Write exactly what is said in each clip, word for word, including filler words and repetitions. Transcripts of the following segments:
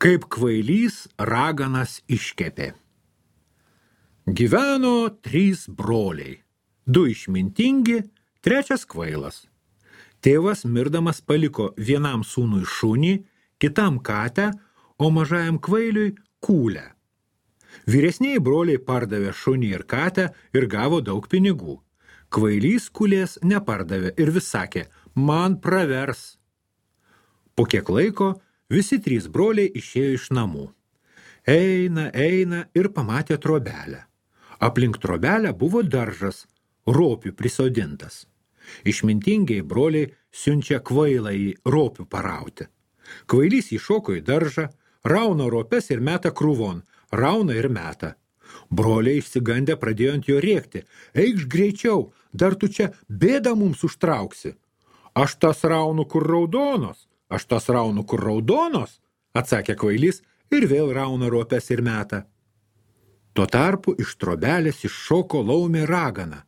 Kaip kvailys raganas iškepė. Gyveno trys broliai. Du išmintingi, trečias kvailas. Tėvas mirdamas paliko vienam sūnui šunį, kitam katę, o mažajam kvailiui kūlę. Vyresnieji broliai pardavė šunį ir katę ir gavo daug pinigų. Kvailys kūlės nepardavė ir vis sakė, man pravers. Po kiek laiko visi trys broliai išėjo iš namų. Eina, eina ir pamatė trobelę. Aplink trobelę buvo daržas, ropių prisodintas. Išmintingiai broliai siunčia kvailą į ropių parauti. Kvailys įšoko į daržą, rauna ropes ir meta krūvon, rauna ir meta. Broliai išsigandę pradėjo ant jo rėkti. Eikš greičiau, dar tu čia bėdą mums užtrauksi. Aš tas raunu, kur raudonos, aš tas raunu, kur raudonos, atsakė kvailys ir vėl rauna ropes ir meta. Tuo tarpu iš trobelės iššoko laumė ragana,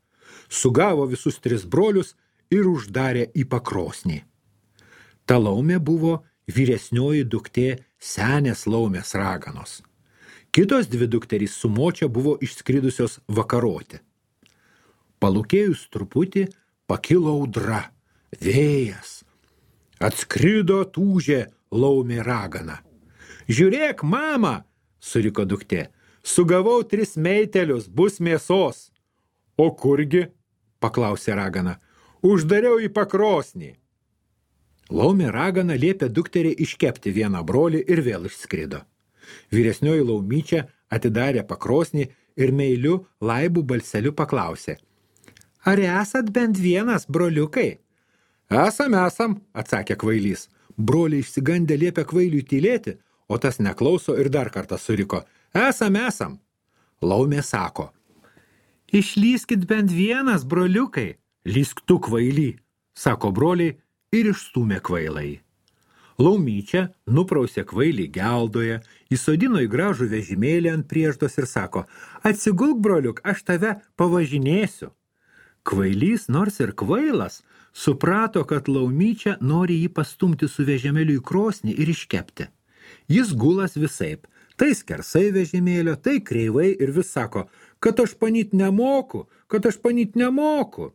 sugavo visus tris brolius ir uždarė į pakrosnį. Ta laumė buvo vyresnioji duktė senės laumės raganos. Kitos dvi dukterys su močia buvo išskridusios vakaroti. Palūkėjus truputį pakilo audra, vėjas. Atskrido tūžė laumė ragana. Žiūrėk, mama, suriko duktė, sugavau tris meitelius, bus mėsos. O kurgi, paklausė ragana, uždariau į pakrosnį. Laumė ragana liepė dukteriai iškepti vieną brolį ir vėl išskrido. Vyresnioji laumyčia atidarė pakrosnį ir meiliu laibų balseliu paklausė. Ar esat bent vienas, broliukai? Esam, esam, atsakė kvailys. Broliai išsigandę liepė kvailiui tylėti, o tas neklauso ir dar kartą suriko. Esam, esam. Laumė sako. Išlyskit bent vienas, broliukai. Lysk tu, kvaily, sako broliai ir išstūmė kvailai. Laumyčia nuprausė kvailį geldoje, įsodino į gražų vežimėlį ant prieždos ir sako, atsigulk, broliuk, aš tave pavažinėsiu. Kvailys, nors ir kvailas, suprato, kad laumyčia nori jį pastumti su vežimėliu į krosnį ir iškepti. Jis gulas visaip, tai skersai vežimėlio, tai kreivai ir vis sako, kad aš panyt nemoku, kad aš panyt nemoku.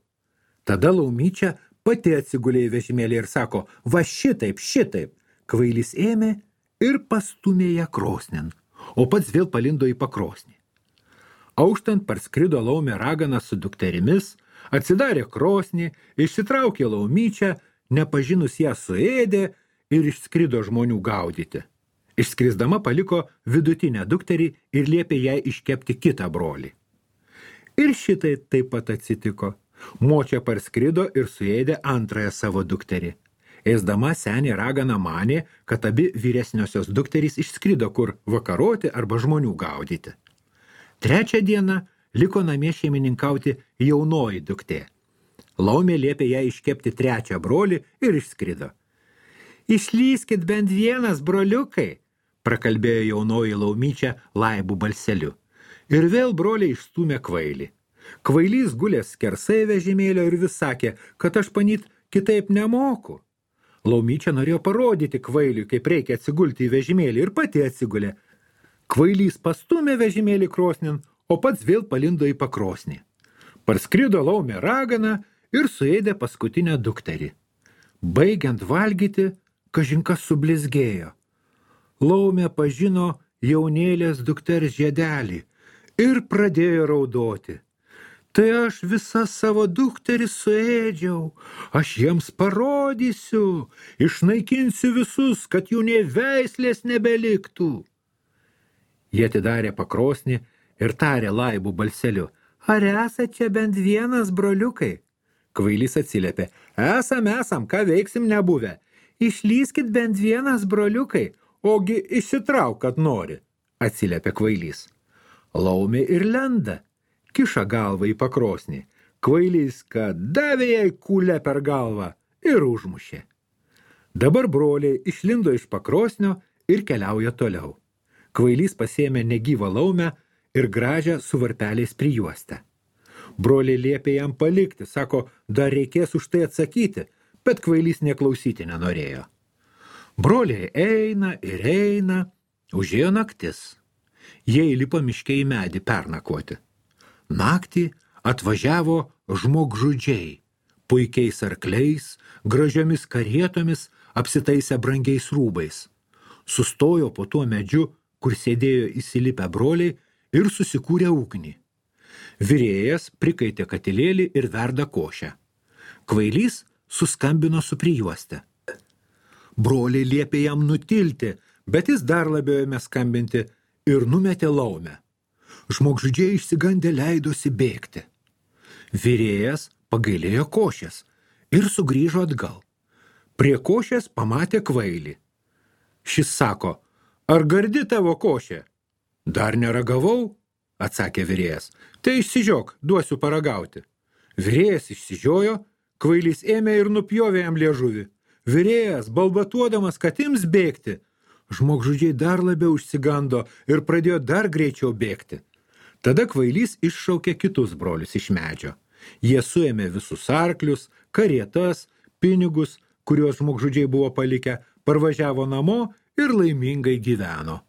Tada laumyčia pati atsigulė į vežimėlį ir sako, va šitaip, šitaip. Kvailys ėmė ir pastumė ją krosnin, o pats vėl palindo į pakrosnį. Auštant parskrido laumė ragana su dukterimis, atsidarė krosnį, išsitraukė laumyčią, nepažinus ją suėdė ir išskrido žmonių gaudyti. Išskrisdama paliko vidutinę dukterį ir liepė jai iškepti kitą brolį. Ir šitai taip pat atsitiko. Močia parskrido ir suėdė antrąją savo dukterį. Ėsdama senė ragana manė, kad abi vyresniosios dukterys išskrido kur vakaroti arba žmonių gaudyti. Trečią dieną liko namie šeimininkauti jaunoji duktė. Laumė liepė ją iškepti trečią brolį ir išskrido. Išlyskit bent vienas, broliukai, prakalbėjo jaunoji laumyčia laibų balseliu. Ir vėl broliai išstūmė kvailį. Kvailys gulės skersai vežimėlio ir vis sakė, kad aš panyt kitaip nemoku. Laumyčia norėjo parodyti kvailiui, kaip reikia atsigulti į vežimėlį ir pati atsigulė. Kvailys pastumė vežimėlį krosnin, o pats vėl palindo į pakrosnį. Parskrido laumė ragana ir suėdė paskutinę dukterį. Baigiant valgyti, kažinkas sublizgėjo. Laumė pažino jaunėlės dukters žiedelį ir pradėjo raudoti. Tai aš visas savo dukterį suėdžiau, aš jiems parodysiu, išnaikinsiu visus, kad jų nė veislės nebeliktų. Jie atidarė pakrosnį ir tarė laibų balseliu, ar esat čia bent vienas, broliukai? Kvailys atsiliepė, esam, esam, ką veiksim nebuvę. Išlyskit bent vienas, broliukai, ogi išsitrauk, kad nori, atsiliepė kvailys. Laumė ir lenda. Kiša galvą į pakrosnį. Kvailys, kad davė jai kūlę per galvą ir užmušė. Dabar broliai išlindo iš pakrosnio ir keliauja toliau. Kvailys pasėmė negyvą laumę ir gražią su varpeliais prijuostę. Broliai liepė jam palikti, sako, dar reikės už tai atsakyti, bet kvailys neklausyti nenorėjo. Broliai eina ir eina, Užėjo naktis. Jie įlipo miške į medį pernakvoti. Naktį atvažiavo žmogžudžiai, puikiais arkliais, gražiomis karietomis, apsitaisę brangiais rūbais. Sustojo po tuo medžiu, kur sėdėjo įsilipę broliai ir susikūrė ugnį. Virėjas prikaitė katilėlį ir verda košę. Kvailys suskambino su prijuoste. Broliai liepė jam nutilti, bet jis dar labiau ėmė skambinti ir numetė laumę. Žmogžudžiai išsigandę leidosi bėgti. Virėjas pagailėjo košės ir sugrįžo atgal. Prie košės pamatė kvailį. Šis sako, ar gardi tavo košė? Dar neragavau, atsakė virėjas. Tai išsižiok, duosiu paragauti. Virėjas išsižiojo, kvailys ėmė ir nupjovė jam liežuvį. Virėjas, balbatuodamas, kad ims bėgti. Žmogžudžiai dar labiau išsigando ir pradėjo dar greičiau bėgti. Tada kvailys iššaukė kitus brolius iš medžio. Jie suėmė visus arklius, karietas, pinigus, kuriuos žmogžudžiai buvo palikę, parvažiavo namo ir laimingai gyveno.